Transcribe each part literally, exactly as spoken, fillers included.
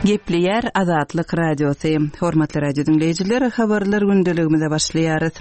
Gepleýär Azatlyk Radiosy. Hormatly radio diňleýjiler, habarlar gündeligimize başlaýarys.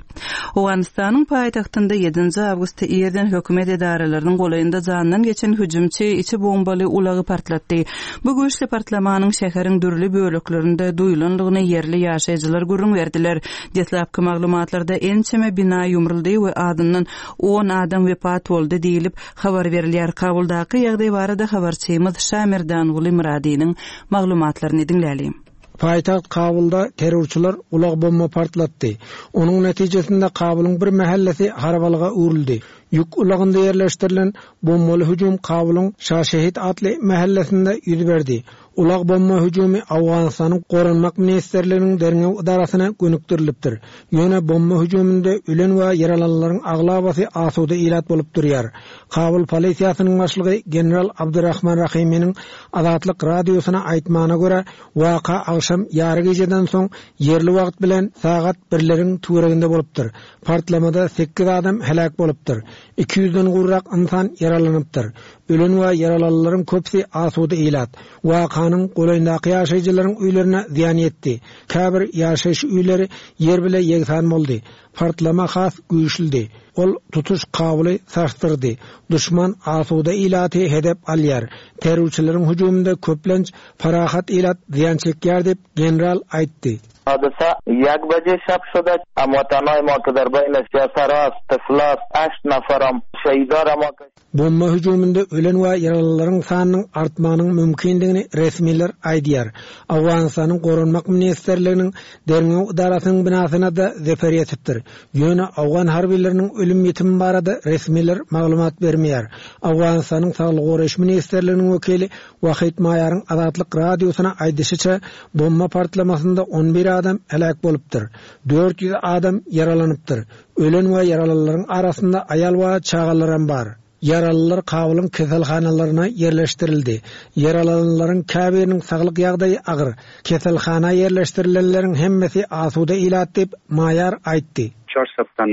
Owganystanyň paýtagtynda ýedinji awgustda irden hökümet edaralarynyň golaýynda jandan geçen hüjümçi içi bombaly ulagy partlatdy. Bu güýçli partlamanyň şäheriň dürli böleklerinde duýulandygyny ýerli ýaşaýjylar gürrüň berdiler. Deslapky maglumatlarda ençeme bina ýumruldy we azyndan on adam wepat boldy diýlip habar berilýär. Kabuldaky ýagdaý barada habarçymyz Şamerdanguly Myradynyň maglumatlaryny diňlälim. Paýtagt Kabulda terrorçylar ulag bomba partlatdy. Onuň netijesinde Kabulyň bir mahallesi harabalyga öwrüldi. Ýük ulagynda ýerleşdirilen bombaly hüjüm Kabulyň Şaşehit atly mahallesinde ýüz berdi. Ulag bomba hüjümi Owganystanyň Goranmak Ministrliginiň derňew edarasyna gönükdirilipdir. Ýöne bomba hüjüminde ölen we ýaralananlaryň aglabasy asuda ilat bolup durýar. Kabul polisiýasynyň başlygy General Abdurrahman Rahiminiň Azatlyk radiosyna aýtmagyna görä, waka agşam ýary gijeden soň ýerli wagt bilen sagat birleriň töwereginde bolupdyr. Partlamada sekiz adam heläk bolupdyr. Iki ýüzden gowrak insan ýaralanypdyr. Ölen we ýaralananlaryň köpüsi asuda ilat. Wakanyň golaýyndaky ýaşaýjylaryň öýlerine zyýan ýetdi. Käbir ýaşaýyş öýleri ýer bile ýegsan boldy. Partlama has güýçlüdi. Ol tutuş Kabuly sarsdyrdy. Düşman asuda ilaty hedep alýar. Terrorçylaryň hüjüminde köplenç parahat ilat zyýan çekýär diýip general aýtdy. حادثه یک بجه شب شده. هموطنای ما که در بین سیاسرا طفلا هشت نفرم شهیدار ما که Bomba hüjüminde ölen we ýaralylaryň sanynyň artmagynyň mümkindigini resmiler aýdýar. Owganystanyň Goranmak Ministrliginiň derňew edarasynyň binasyna da zeper ýetipdir. Ýöne Owgan harbileriniň ölüm ýetimi barada resmiler maglumat bermeýär. Owganystanyň Saglyk goraýyş Ministrliginiň wekili Wahid Maýaryň Azatlyk radiosyna aýdyşyça, bomba partlamasynda on bir adam heläk bolupdyr. Dört ýüz adam ýaralanypdyr. Ölen we ýaralylaryň arasynda aýal we çagalaram bar. Ýaralylar Kabulyň keselhanalaryna ýerleşdirildi. Ýaralananlaryň käbiriniň saglyk ýagdaýy agyr. Keselhana ýerleşdirilenleriň hemmesi asuda ilat diýip Maýar aýtdy. Çar tan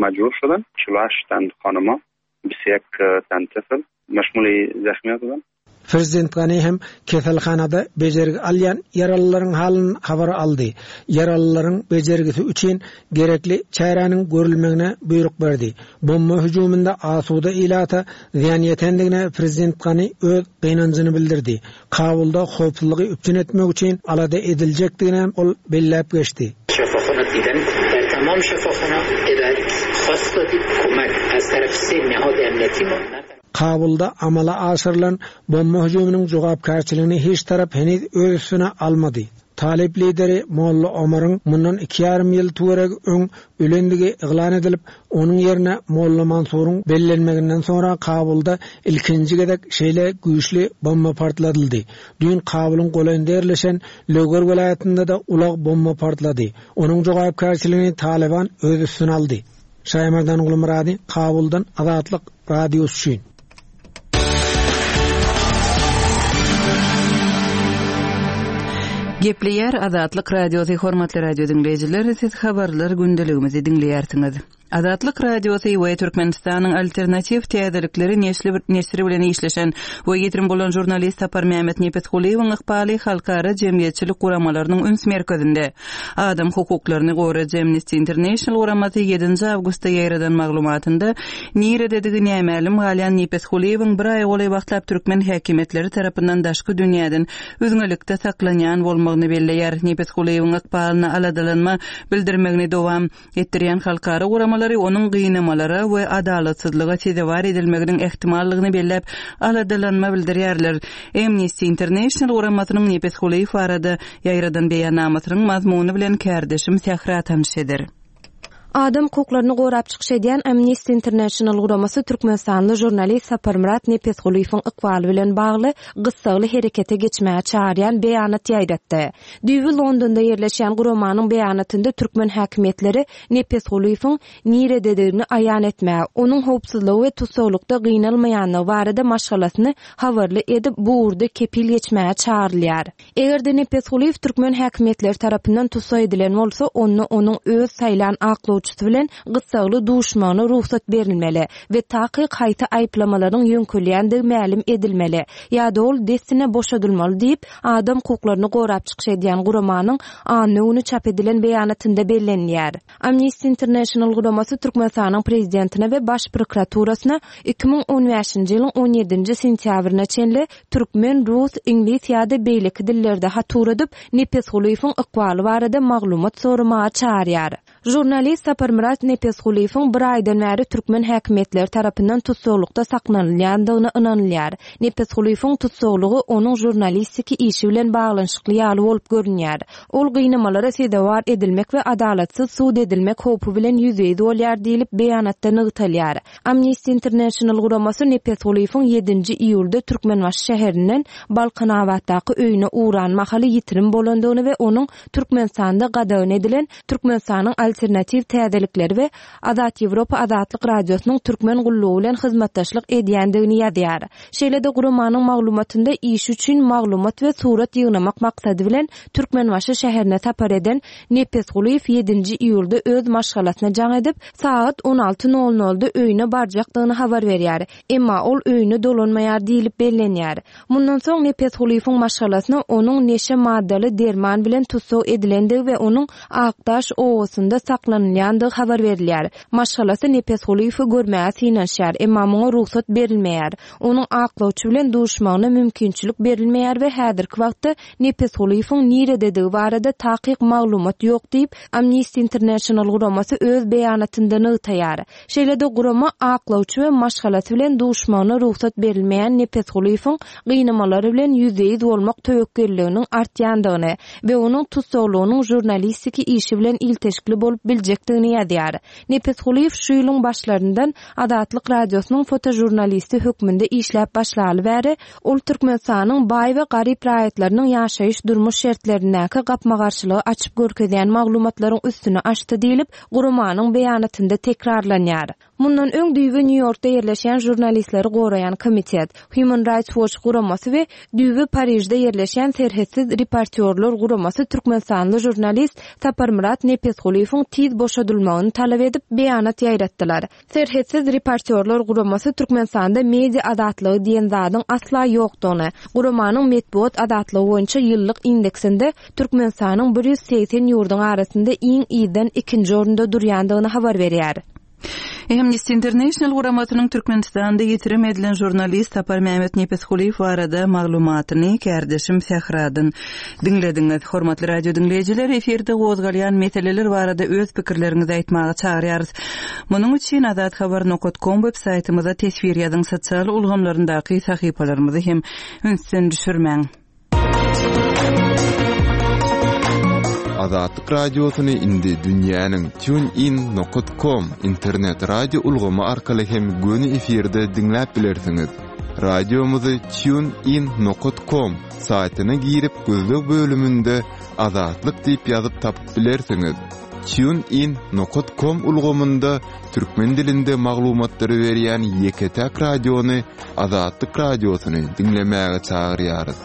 majbur şudan, çulaş tan xanıma, bisek tan tifl, meşmuli zahmiyat bilen. Prezident Gani hem keselhanada bejergi alýan ýaralylaryň halyny habar aldy. Ýaralylaryň bejergisi üçin gerekli çäräniň görülmegine buýruk berdi. Bomba hüjüminde asuda ilata zyýan ýetendigine Prezident Gani öz gynanjyny bildirdi. Kabulda howpsuzlygy üpjün etmek üçin alada ediljekdigini ol belläp geçdi. Şefaxana diýden, der tamam şefaxana eder khas kömek az taraf se nihad emniyeti ma. Kabulda amala aşyrylan bomba hüjüminiň jogapkärçiligini hiç tarap heniz öz üstüne almady. Talip lideri Molla Omar'ın mundan iki yarım ýyl töweregi öň ölendigi yglan edilip, onuň ýerine Molla Mansur'un bellenmeginden soňra Kabulda ilkinji gezek şeýle güýçli bomba partladyldy. Düýn Kabulyň golaýynda ýerleşen Löger welaýatynda da ulag bomba partlady. Onuň jogapkärçiligini Taliban öz üstüne aldy. Şaýmardan Gulmurady, Kabuldan Azatlyk radiosy üçin. Gepleýär Azatlyk radiosy, hormatly radio diňleýjiler, siz habarlar gündeligimizi diňleýärsiňiz. Azatlyk radiosy we Türkmenistanyň alternatiw täzelikleri neşri bilen işleşen we ýitirim bolan žurnalist Sapar Mehmet Nepesgulyýewiň ykbaly halkara jemgyýetçilik guramalarynyň üns merkezinde. Adam hukuklaryny goraýjy Amnesty International guramasy ýedinji awgustda ýaýradan maglumatynda nirededigi nämälim galýan Nepesgulyýewiň bir aý golaý wagtlap türkmen häkimiýetleri tarapyndan daşky dünýäden üzňelikde saklanýan bolmagyny belleýär. Nepesgulyýewiň ykbalyna aladalanma bildirmegini dowam etdirýän halkara guramalary onuň gynamalara we adalatsyzlyga sezewar edilmeginiň ehtimallygyny belläp aladalanma bildirýärler. Amnesty International guramasynyň Nepesgulyýew barada ýaýradan beýannamasynyň mazmuny bilen kärdeşim Sähra tanyş eder. Adam hukuklaryny gorap çykyş edýän Amnesty International guramasy Türkmenistanly žurnalist Saparmyrat Nepesgulyýewiň ykbaly bilen bagly gyssagly herekete geçmäge çağırýan beýanat ýaýratdy. Düýbi Londonda ýerleşýän guramanyň beýanatynda türkmen häkimiýetleri Nepesgulyýewiň nirededigini aýan etmäge, onuň howpsuzlygy we tussaglykda gynalmaýanlygy barada maşgalasyny habarly edip bu ugurda kepil geçmäge çağırylýar. Eger-de Nepesgulyýew türkmen häkimiýetleri tarapyndan tussag edilen bolsa, onda onuň öz saýlan aklawçy aklawçysy bilen gyssagly duşmagyna rugsat berilmeli we takyk haýsy aýyplamalaryň ýöňkelýändigi mälim edilmeli ýa-da ol dessine boşadylmaly diýip, adam hukuklaryny gorap çykyş edýän guramanyň anna güni çap edilen beýanatynda bellenilýär. Amnesty International guramasy Türkmenistanyň prezidentine we baş prokuraturasyna iki müň on bäşinji ýylyň on ýedinji sentýabryna çenli türkmen, rus, iňlis ýa-da beýleki dillerde hat ugradyp, Nepesgulyýewiň ykbaly barada maglumat soramaga çagyrýar. Žurnalist Saparmyrat Nepesgulyýewiň bir aýdan bäri türkmen häkimiýetleri tarapyndan tussaglykda saklanylýandygyna ynanylýar. Nepesgulyýewiň tussaglygy onuň žurnalistiki işi bilen baglanyşykly ýaly bolup görünýär. Ol gynamalara sezewar edilmek we adalatsyz sud edilmek howpy bilen ýüzbe-ýüz bolýar diýlip beýanatda nygtalýar. Amnesty International guramasy Nepesgulyýewiň ýedinji iýulda Türkmenbaşy şäherinden Balkanabatdaky öýüne ugran mahaly ýitirim bolandygyny we onuň Türkmenistanda gadagan edilen Türkmenistanyň alternatiw täzelikleri we Azat Ýewropa Azatlyk Radiosynyň türkmen gullugy bilen hyzmatdaşlyk edýändigini ýazýar. Şeýle-de guramanyň maglumatynda iş üçin maglumat we surat ýygnamak maksady bilen Türkmenbaşy şäherine sapar eden Nepesgulyýew ýedinji iýulda öz maşgalasyna jaň edip, sagat on alty nol nolda öýüne barjakdygyny habar berýär. Emma ol öýüne dolanmaýar diýlip bellenýär. Mundan soň Nepesgulyýewiň maşgalasyna onuň neşe maddaly derman bilen tussag edilendigi we onuň Akdaş obasynda saklanylýandygy habar berilýär. Maşgalasy Nepesgulyýewi görmäge synanyşýar, emma muňa rugsat berilmeýär. Onuň aklawçy bilen duşmagyna mümkinçilik berilmeýär we häzirki wagtda Nepesgulyýewiň nirededigi barada takyk maglumat ýok diýip, Amnesty International guramasy öz beýanatynda nygtaýar. Şeýle-de gurama aklawçy we maşgalasy bilen duşmagyna rugsat berilmeýän Nepesgulyýewiň gynamalary bilen ýüzbe-ýüz bolmak töwekgelliginiň artýandygyny we onuň tussaglygynyň žurnalistiki işi bilen ilteşikli bolup biljekdigini ýazýar. Nepesgulyýew şu ýylyň başlaryndan Azatlyk Radiosynyň fotožurnalisti hökmünde işläp başlaly bäri, ol Türkmenistanyň baý we garyp raýatlarynyň ýaşaýyş durmuş şertlerindäki gapma-garşylygy açyp görkezýän maglumatlaryň üstüni açdy diýlip, guramanyň beýanatynda tekrarlanýar. Mundan öň düýbi Nýu-Ýorkda ýerleşýän žurnalistleri goraýan komitet, Human Rights Watch guramasy we düýbi Parižde ýerleşýän Serhetsiz reportýorlar guramasy Türkmenistanly žurnalist Saparmyrat Nepesgulyýewiň tiz boşadylmagyny talap edip beýanat ýaýratdylar. Serhetsiz reportýorlar guramasy Türkmenistanda media azatlygy diýen zadyň asla ýokdugyny, guramanyň metbugat azatlygy boýunça ýyllyk indeksinde Türkmenistanyň bir ýüz segsen ýurduň arasynda iň ýydan ikinji orunda durýandygyny habar berýär. Amnesty International guramasynyň Türkmenistanda ýitirim edilen žurnalist Saparmyrat Nepesgulyýew barada maglumatyny kärdeşim Sähradan diňlediňiz. Hormatly radio diňleýjiler, efirde gozgalýan meseleler barada öz pikirleriňizi aýtmaga çagyrýarys. Munuň üçin azathabar nokta com web saýtymyza teswir ýazyň, sosial ulgamlaryndaky sahypalarymyzy hem ünsden düşürmäň. Azatlyk Radiosyny indi dünýäniň TuneIn nokta com internet radio ulgamy arkaly hem göni efirde diňläp bilersiňiz. Radiomyzy TuneIn nokta com saýtyna girip gözleg bölüminde Azatlyk diýip ýazyp tapyp bilersiňiz. TuneIn nokta com ulgamynda türkmen dilinde maglumatlary berýän ýeke-täk radiony Azatlyk Radiosyny diňlemäge çagyrýarys.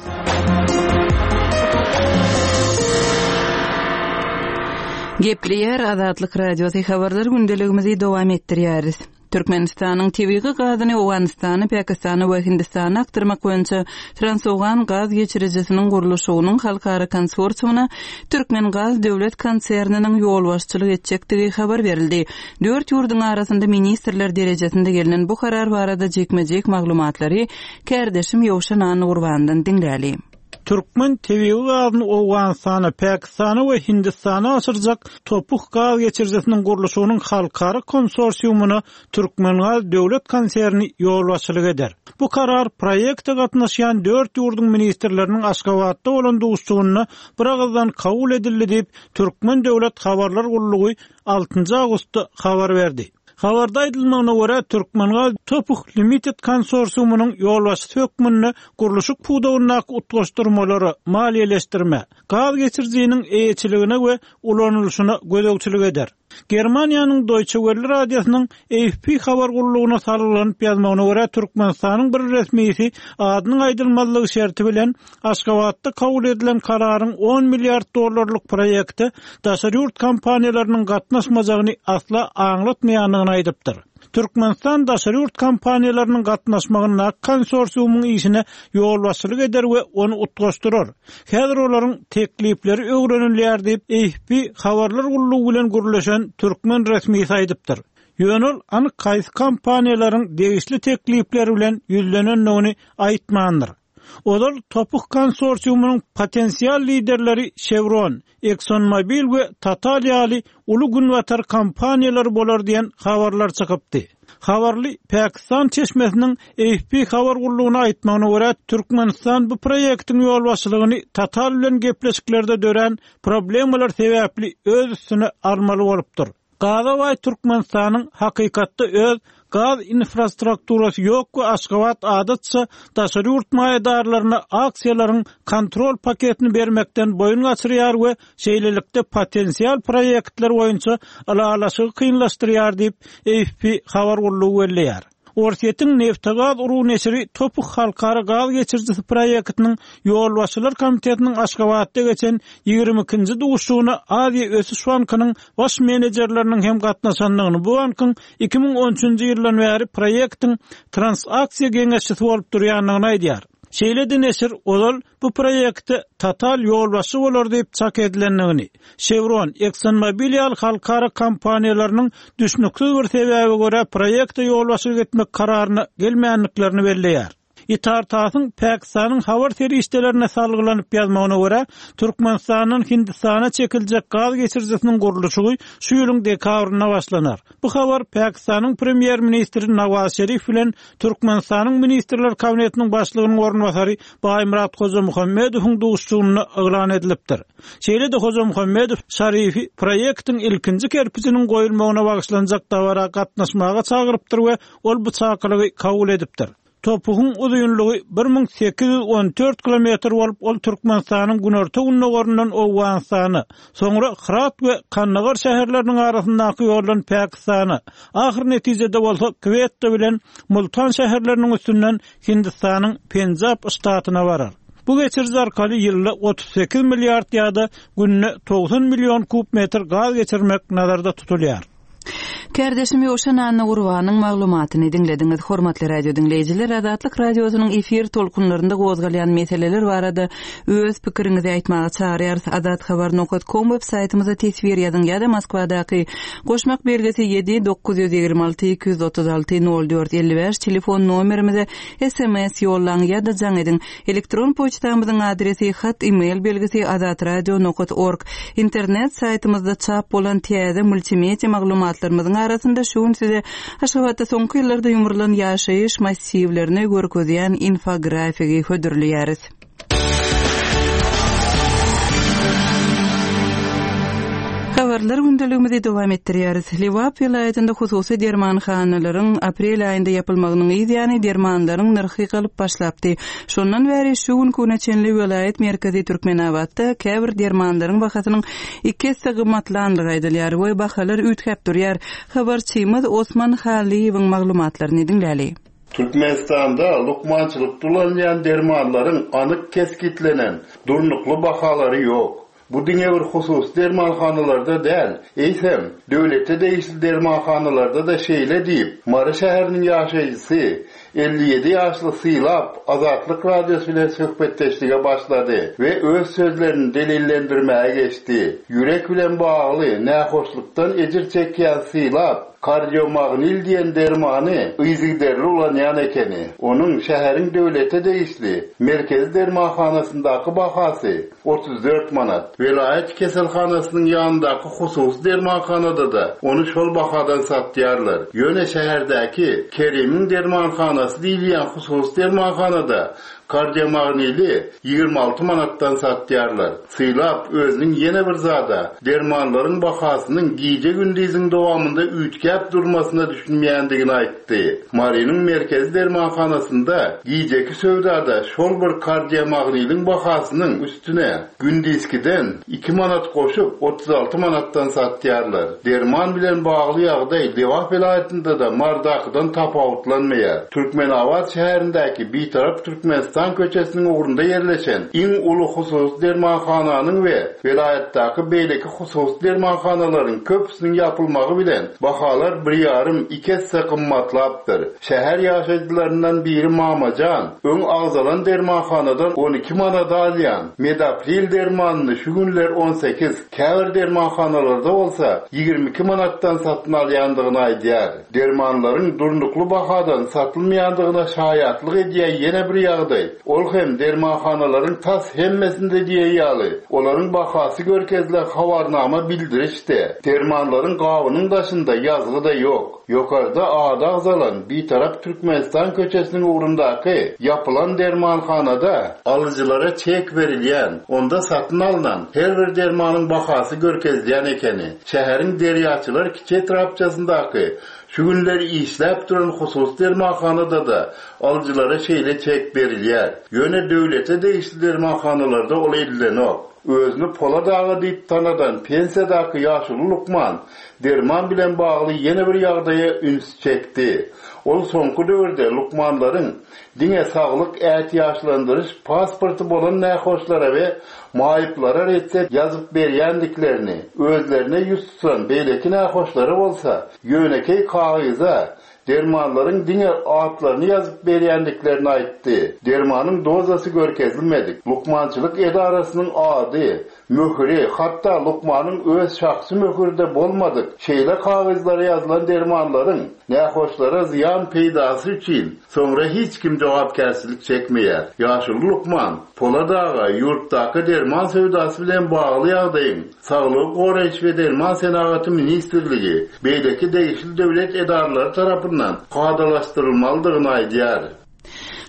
Gepleýär Azatlyk Radiosy habarlar gündeligimizi dowam etdirýäris. Türkmenistanyň tebigy gazyny Owganystana, Pakistana we Hindistana akdyrmak boýunça Transowgan gaz geçirijisiniň gurluşygynyň halkara konsorsiumyna Türkmen Gaz döwlet konserniniň ýolbaşçylyk etjekdigi habar berildi. Dört ýurduň arasynda ministrler derejesinde gelnen bu karar barada jikme-jik maglumatlary kärdeşim Ýowşan Anurbandan diňläli. Türkmen tebigy gazyny Owganystana, Pakistana we Hindistana aşyrjak topuk gaz geçirijisiniň gurluşygynyň halkara konsorsiumyna Türkmen Gaz döwlet konserni ýolbaşçylyk eder. Bu karar proýekte gatnaşýan dört ýurduň ministrleriniň Aşgabatda bolan duşuşygynda bir agızdan kabul edildi diýip Türkmen döwlet habarlar gullugy altynjy awgustda habar berdi. Habarda aýdylmagyna görä Türkmen Gaz Topuk Limited konsorsiumynyň ýolbaşçysy hökmünde gurluşyk pudagyndaky utgaşdyrmalary maliýeleşdirme, gaz geçirijiniň eýeçiligine we ulanylyşyna gözegçilik eder. Germaniýanyň Deutsche Welle radiosynyň A F P habar gullugyna salgylanyp ýazmagyna görä, Türkmenistanyň bir resmisi adynyň aýdylmazlygy şerti bilen Aşgabatda kabul edilen kararyň on milliard dollarlyk proýekte daşary ýurt kompaniýalarynyň gatnaşmajagyny asla aňlatmaýandygyny aýdypdyr. Türkmenistan daşary ýurt kompaniýalarynyň gatnaşmagynda konsorsiumyň işine ýolbaşçylyk eder we ony utgaşdyrar. Häzir olaryň teklipleri öwrenilýär diýip A F P habarlar gullugy bilen gürleşen türkmen resmisi aýdypdyr. Ýöne ol anyk haýsy kompaniýalaryň degişli teklipleri bilen ýüzlenendigini aýtmandyr. Ozal Topuk konsorsiumynyň potensial liderleri Chevron, ExxonMobil we Total ýaly uly günbatar kompaniýalary bolar diýen habarlar çykypdy. Habarly Pakistan çeşmesiniň A F P habar gullugyna aýtmagyna görä, Türkmenistan bu proýektiň ýolbaşçylygyny Total bilen gepleşiklerde dörän problemalar sebäpli öz üstüne almaly bolupdyr. Gaza baý Türkmenistanyň hakykatda öz gaz infrastrukturasy ýok we Aşgabat adatça daşary ýurt maýadarlaryna aksiýalaryň kontrol paketini bermekden boýun gaçyrýar we şeýlelikde potensial proýektler boýunça ylalaşygy kynlaşdyrýar diýip A F P habar gullugy belleýär. Orsýetiň Neftegaz uruw neşiri Topuk halkara gaz geçirijisi proýektiniň ýolbaşçylar komitetiniň Aşgabatda geçen ýigrimi ikinji duşuşygyna Aziýa Ösüş Bankynyň baş menejerleriniň hem gatnaşandygyny, bu bankyň iki müň on üçünji ýyldan bäri proýektiň transaksiýa geňeşçisi bolup durýandygyny aýdýar. Şeýle-de neşir ozal bu proýekte Total ýolbaşçy bolar diýip çak edilendigini, Chevron, ExxonMobil ýaly halkara kompaniýalarynyň düşnüksiz bir sebäbe görä proýekte ýolbaşçylyk etmek kararyna gelmänliklerini belleýär. Itartasyň Pakistanyň habar serişdelerine salgylanyp ýazmagyna görä, Türkmenistandan Hindistana çekiljek gaz geçirijisiniň gurluşygy şu ýylyň dekabrynda başlanar. Bu habar Pakistanyň premýer-ministri Nawaz Şerif bilen Türkmenistanyň Ministrler Kabinetiniň başlygynyň orunbasary Baýmyrat Hojamuhammedowyň duşuşygynda yglan edilipdir. Şeýle-de Hojamuhammedow Şarifi proýektiň ilkinji kerpijiniň goýulmagyna bagyşlanjak dabara gatnaşmaga çagyrypdyr we ol bu çakylygy kabul edipdir. Topugyň uzynlygy bir müň sekiz ýüz on dört kilometr bolup, ol Türkmenistanyň günorta gündogaryndan Owganystana, soňra Hyrat we Kandagar şäherleriniň arasyndaky ýoldan Pakistana, ahyr netijede bolsa Kwetta bilen Multan şäherleriniň üstünden Hindistanyň Penjab ştatyna barar. Bu geçiriji arkaly ýylda otuz sekiz milliard ýa-da günde togsan million kub metr gaz geçirmek nazarda tutulýar. Kardeşim Ýowşan Anna Gurbanyň maglumatyny diňlediňiz. Hormatly radio diňleýjiler, Azatlyk radiosynyň efir tolkunlarynda gozgalýan meseleler barada öz pikiriňizi aýtmaga çagyrýarys. Azat habar nokta com web saýtymyza teswir ýazyň ýa-da Moskwadaky goşmak belgisi ýedi dokuz ýüz ýigrimi alty iki ýüz otuz alty nol dört elli bäş telefon nomerimize S M S ýollaň ýa-da jaň ediň. Elektron poçtamyzyň adresi hat e-mail belgisi azatradio nokta org. Internet saýtymyzda çap bolan täze multimedia maglumatlarymyzyň arasynda şu gün size Aşgabatda soňky ýyllarda ýumrulan ýaşaýyş massiwlerini görkezýän infografiki hödürleýäris. Habarlar gündeligimizi dowam etdirýäris. Lebap welaýatynda hususy dermanhanalaryň aprel aýynda ýapylmagynyň ýany dermanlaryň nyrhy galyp başlapdy. Şondan bäri şu gün güne çenli welaýat merkezi Türkmenabatda käbir dermanlaryň bahasynyň iki esse gymmatlandygy aýdylýar we bahalar üýtgäp durýar. Habarçymyz Osman Halyýewiň maglumatlaryny diňläli. Türkmenistanda lukmançylyk dulanýan dermanlaryň anyk keskitlenen durnukly bahalary ýok. Bu diňe bir husus dermanhanalarda däl, eýsem, döwlete degişli dermanhanalarda da şeýle diýip, Mary şäheriniň ýaşaýjysy elli ýedi ýaşly Sylap Azatlyk radiosy bilen söhbetdeşlige başlady we öz sözlerini delillendirmäge geçdi. Ýürek bilen bagly nähoşlukdan ejir çekýän Sylap kardiomagnil diýen dermany yzygiderli ulanýan ekeni. Onuň şäheriň döwlete degişli merkezi dermanhanasyndaky bahasy otuz dört manat. Welaýat keselhanasynyň ýanyndaky hususy dermanhanada da ony şol bahadan satýarlar. Ýöne şäherdäki Kerimiň dermanhanasy diýilýän hususy dermanhanada Kardiomagnili ýigrimi alty manatdan satýarlar. Sylap özüniň ýene bir zada dermanlaryň bahasynyň gije-gündiziň dowamynda üýtgäp durmasyna düşünmeýändigini aýtdy. Marynyň merkezi dermanhanasynda gijeki söwdada şol bir kardiomagniliň bahasynyň üstüne gündizkiden iki manat goşup otuz alty manatdan satýarlar. Derman bilen bagly ýagdaý Lebap welaýatynda da Mardakydan tapawutlanmaýar. Türkmenabat şäherindäki Bitarap Türkmenistan köçesiniň ugrunda ýerleşen iň uly hususy dermanhananyň we welaýatdaky beýleki hususy dermanhanalaryň köpüsiniň ýapylmagy bilen bahalar bir ýarym iki esse gymmatlapdyr. Şäher ýaşaýjylaryndan biri Mamajan, öň agzalan dermanhanadan on iki manada alýan Medapril dermanyny şu günler on sekiz, käbir dermanhanalarda bolsa ýigrimi iki manatdan satyn alýandygyny aýdýar. Dermanlaryň durnukly bahadan satylmaýandygyna şaýatlyk edýän ýene bir ýagdaý. Ol hem dermanhanalaryň tas hemmesinde diýen ýaly, olaryň bahasy görkezilen habarnama bildirişde, dermanlaryň gabynyň daşynda ýazgy da ýok. Ýokarda ady agzalan Bitarap Türkmenistan köçesiniň ugrundaky ýapylan dermanhanada alyjylara çek berilýän, onda satyn alynan her bir dermanyň bahasy görkezilýän ekeni. Şäheriň Derýaçylar kiçi etrapçasyndaky şu günler işläp duran hususy dermanhanada da alyjylara şeýle çek berilýär. Ýöne döwlete degişli dermanhanalarda ol edilenok. Özüni Polat aga diýip tanadan pensiýadaky ýaşuly lukman derman bilen bagly ýene bir ýagdaýa üns çekdi. Ol soňky döwürde lukmanlaryň diňe saglyk ätiýaçlandyryş pasporty bolan nähoşlara we maýyplara retsept ýazyp berýändiklerini, özlerine ýüz tutan beýleki nähoşlara bolsa ýönekeý kagyza dermanlaryň diňe atlaryny ýazyp berýändiklerini aýtdy. Dermanyň dozasy görkezilmedik. Lukmançylyk edarasynyň ady, möhüri, hatda lukmanyň öz şahsy möhürde bolmadyk şeýle kagyzlara ýazylan dermanlaryň nähoşlara zyýan peýdasy üçin soňra hiç kim jogapkärçilik çekmeýär. Ýaşuly lukman Polat aga ýurtdaky derman söwdasy bilen bagly ýagdaýyň Saglygy goraýyş we derman senagaty ministrligi beýleki degişli döwlet edaralary tarapyndan kadalaşdyrylmalydygyny aýdýar.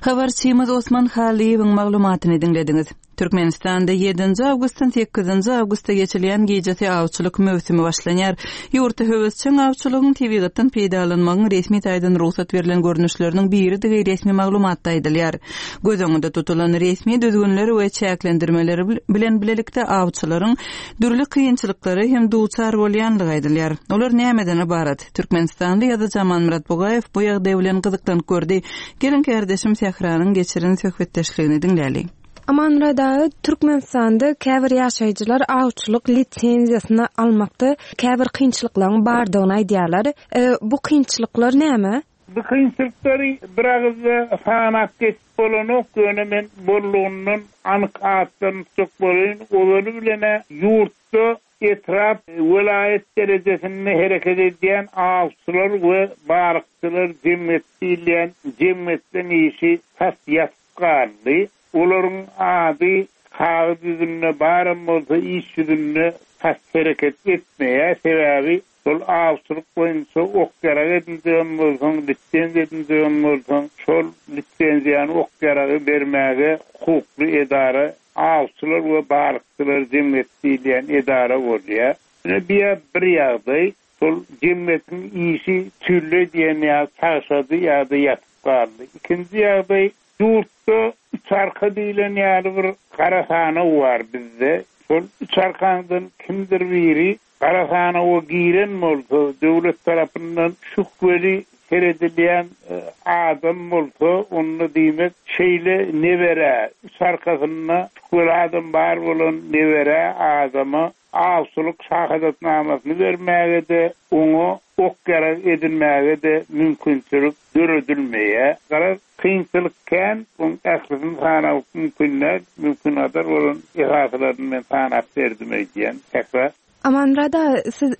Habarçymyz Osman Halyýewiň maglumatyny diňlediňiz. Türkmenistanda ýedinji awgustdan sekizinji awgusta geçilýän gijesi awçylyk möwsümi başlanýar. Ýurtda höwesjeň awçylygyň tebigatdan peýdalanmagyň resmi taýdan rugsat berlen görnüşleriniň biridigi resmi maglumatda aýdylýar. Göz öňünde tutulan resmi düzgünler we çäklendirmeler bilen bilelikde awçylaryň dürli kynçylyklary hem duçar bolýanlygy aýdylýar. Olar nämeden ibarat? Türkmenistanly ýazyjy Amanmyrat Bugaýew bu ýagdaý bilen gyzyklanyp gördi. Gelin kardeşim Sähranyň geçiren söhbetdeşligini diňläli. Amanmyrat aga, Türkmenistanda käbir ýaşaýjylar awçylyk lisenziýasyny almakda käbir kynçylyklaryň bardygyny aýdýarlar. E, bu kynçylyklar näme? Bu kynçylyklary bir agyzda sanap geçip bolanok, ýöne men bolluğundan anyk atdan tutjak bolaýyn. Ozaly bilene ýurtda etrap, welaýat derejesinde hereket edýän awçylar we balykçylar jemgyýet diýilýän jemgyýetleň işi tas ýatyp galdy. Olaryň ady kagyz ýüzünde baram bolsa iş ýüzünde tas hereket etmeýär. Sebäbi şol awçylyk boýunça ok ýarag edinjegem bolsaň, lisenziýa edinjegem bolsaň, şol lisenziýany ok ýaragy bermäge hukukly edara awçylar we balykçylar jemgyýet diýilýän edara bolýar. Ine bir bir ýagdaý, şol jemgyýetiň işi tülle diýen ýa çagşady ýa-da ýatyp galdy. Ikinji ýagdaý, ýurtda üç arka diýilen ýaly bir gara sanaw bar bizde. Şol üç arkandan kimdir biri gara sanawa giren bolsa, döwlet tarapyndan şübheli seredilýän, e, adam bolsa, onda diýmek şeýle nebere, üç arkasynda şübheli adam bar bolan nebere adama awçylyk şahadatnamasyny bermäge-de, oňa ok ýarag edinmäge-de mümkinçilik döredilmeýär. Garaz, kynçylyk kän, oň ählisini sanap mümkin däl, mümkin gadar bolan esaslaryny men sanap berdim öýdýän. Tekrar. Amanmyrat aga, siz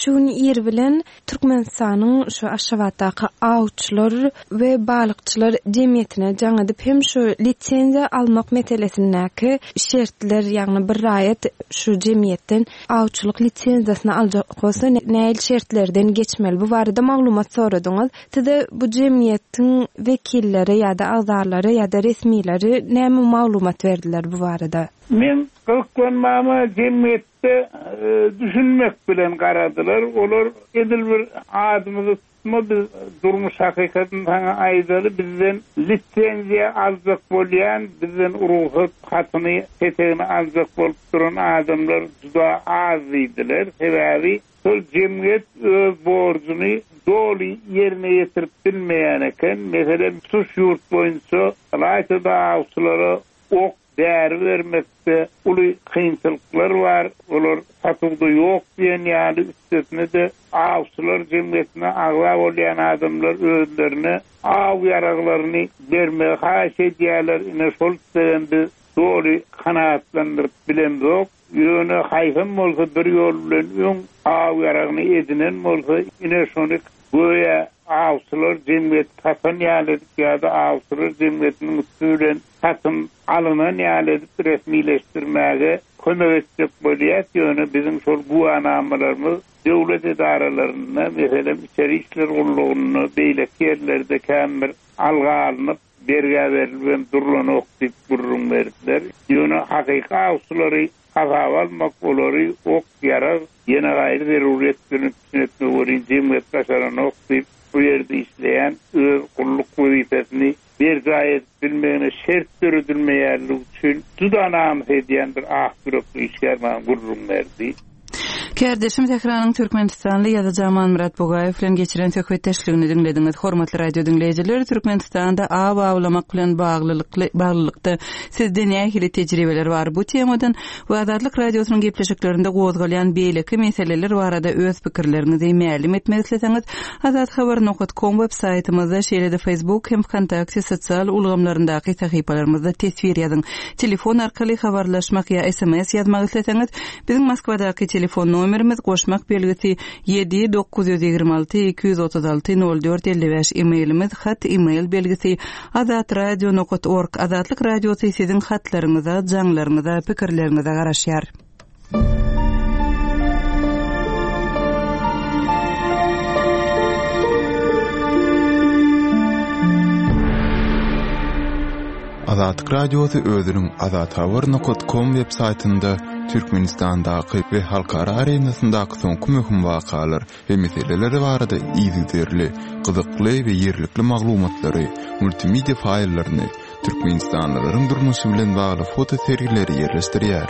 şu gün ir bilen Türkmenistanyň şu Aşgabatdaky awçylar we balykçylar jemgyýetine jaň edip hem şu lisenziýa almak meselesindäki şertler, ýagny bir raýat şu jemgyýetden awçylyk lisenziýasyny aljak bolsa nähili şertlerden geçmeli, bu barada maglumat soradyňyz. Size bu jemgyýetiň wekilleri ýa-da agzalary ýa-da resmileri näme maglumat berdiler bu barada? Men gyzyklanmama jemgyýetde düşünmek bilen garadylar. Olar edil bir adymyzy tutma, biz durmuş hakykatyny saňa aýdaly, bizden lisenziýa aljak bolýan, bizden rugsat hatyny, petegini aljak bolup duran adamlar juda az diýdiler. Sebäbi şol jemgyýet öz borjuny doly ýerine ýetirip bilmeýän eken. Meselem, tutuş ýurt boýunça ylaýta-da awçylara ok däri bermekde uly kynçylyklar bar. Olar satuwda ýok diýen ýaly, üstesine-de awçylar jemgyýetine agza bolýan adamlar özlerine aw ýaraglaryny bermegi haýyş edýärler. Ine şol islegem biz doly kanaatlandyryp bilemzok. Ýöne haýsam bolsa bir ýol bilen öň aw ýaragyny edinen bolsa, ine şony göýä awçylar jemgyýet satan ýaly edip ýa-da awçylar jemgyýetiniň üsti bilen satyn alynan ýaly edip resmileşdirmäge kömek etjek bolýar. Ýöne biziň şol güwanamalarymyz döwlet edaralarynda, meselem, içeri işler gullugynda, beýleki ýerlerde kän bir alga alnyp, bergä berilip hem durlanok diýip gürrüň berdiler. Ýöne hakyky awçylary hasaba almak, olary ok, ýarag, ýene gaýry zeruriyet bilen üpjün etmek welin jemgyýet başaranok diýip, bu ýerde işleýän öz gulluk wezipesini berjaý edip bilmegine şert döredilmeýänligi üçin juda namys edýän bir ah ýürekli işgär maňa gürrüň berdi. Kärdeşim Sähranyň Türkmenistanly ýazyjy Amanmyrat Bugaýew bilen geçiren söhbetdeşligini diňlediňiz. Hormatly radio diňleýjiler, Türkmenistanda aw awlamak bilen baglylykly baglylykda sizde nähili tejribeler bar? Bu temadan we Azatlyk radiosynyň gepleşiklerinde gozgalýan beýleki meseleler barada öz pikirleriňizi mälim etmek isleseňiz, azathabar nokat com web saýtymyzda, şeýle-de Facebook hem VKontakte sosial ulgamlaryndaky sahypalarymyzda teswir ýazyň. Telefon arkaly habarlaşmak ýa S M S ýazmak isleseňiz, biziň Moskwadaky telefon nomerimiz goşmak belgisi ýedi dokuz ýüz ýigrimi alty iki ýüz otuz alty nol dört elli bäş, e-mailimiz hat e-mail belgisi azatradio nokat org. Azatlyk radiosy siziň hatlaryňyza, jaňlaryňyza, pikirleriňize garaşýar. Azatlyk radiosy özüniň azathabar nokat com web saýtynda Türkmenistandaky we halkara arenasyndaky soňky möhüm wakalar we meseleler barada yzygiderli, gyzykly we ýerlikli maglumatlary, multimedia faýllaryny, Türkmenistanlylaryň durmuşy bilen bagly foto sergileri ýerleşdirýär.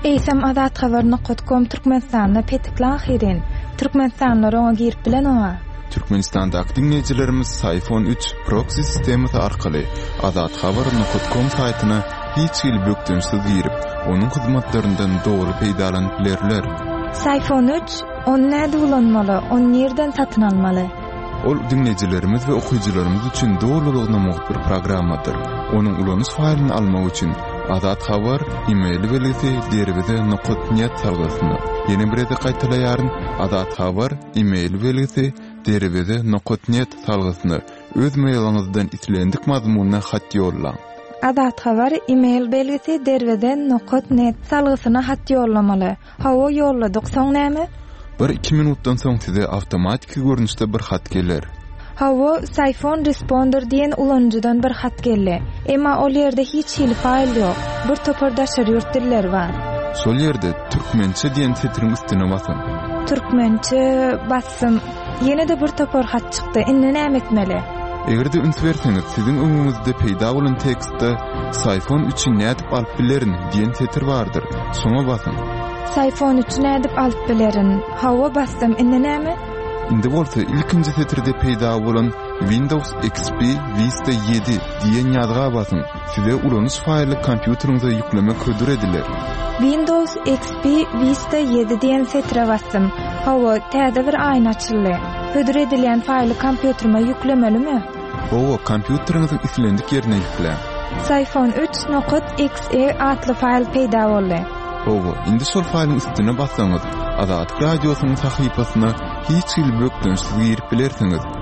Eýsem azathabar nokat com Türkmenistanda petikli ahyrin. Türkmenistanlylar oňa girip bilen oňa. Türkmenistandaky diňleýjilerimiz Syfon üç proxy sistemasy arkaly azathabar nokat com saýtyna hiç hili bökdençsiz girip, onuň hyzmatlaryndan dogry peýdalanyp bilerler. Syfon üç, ony näde ulanmaly, ony nirden satyn almaly? Ol diňleýjilerimiz we okyjylarymyz üçin dolulygyna mugt bir programmadyr. Onuň ulanyş faýlyny almak üçin Azat Habar e-mail belgisi derweze nokat net salgysyna. Ýene bir gezek gaýtalaýaryn, Azat Habar e-mail belgisi derweze nokat net salgysyna öz mailiňizden islendik mazmunda hat ýollaň. Azat Habar e-mail belgisi derweze nokat net salgysyna hat ýollamaly. Hawa ýolladyk, soň näme? Bir iki minutdan soň size awtomatiki görnüşde bir hat geler. Hawa, Syfon Responder diýen ulanyjydan bir hat geldi. Emma ol ýerde hiç hili faýl ýok. Bir topar daşary ýurt dilleri bar. Şol ýerde türkmençe diýen setiriň üstüne basyň. Türkmençe basdym. Ýene-de bir topar hat çykdy. Indi näme etmeli? Eger-de üns berseňiz, siziň öňüňizde peýda bolan tekstde Syfon üçi nädip alyp bilerin diýen setir bardyr. Şoňa basyň. Syfon üçi nädip alyp bilerin? Hawa basdym. Indi näme? Indi bolsa ilkinji setirde peýda bolan Windows X P Vista ýedi diýen ýazga basyň. Size ulanyş faýly kompýuteriňize ýüklemek hödür ediler. Windows X P Vista ýedi diýen setire basdym. Hawa, täze bir aýna açyldy. Hödür edilýän faýly kompýuterime ýüklemelimi? Hawa, kompýuteriňiziň islendik ýerine ýükläň. Syfon üç nokat X E atly faýl peýda boldy. Hawa, indi şol faýlyň üstüne bassaňyz, Azatlyk Radiosynyň sahypasyna hiç hili bökdençsiz girip bilersiňiz.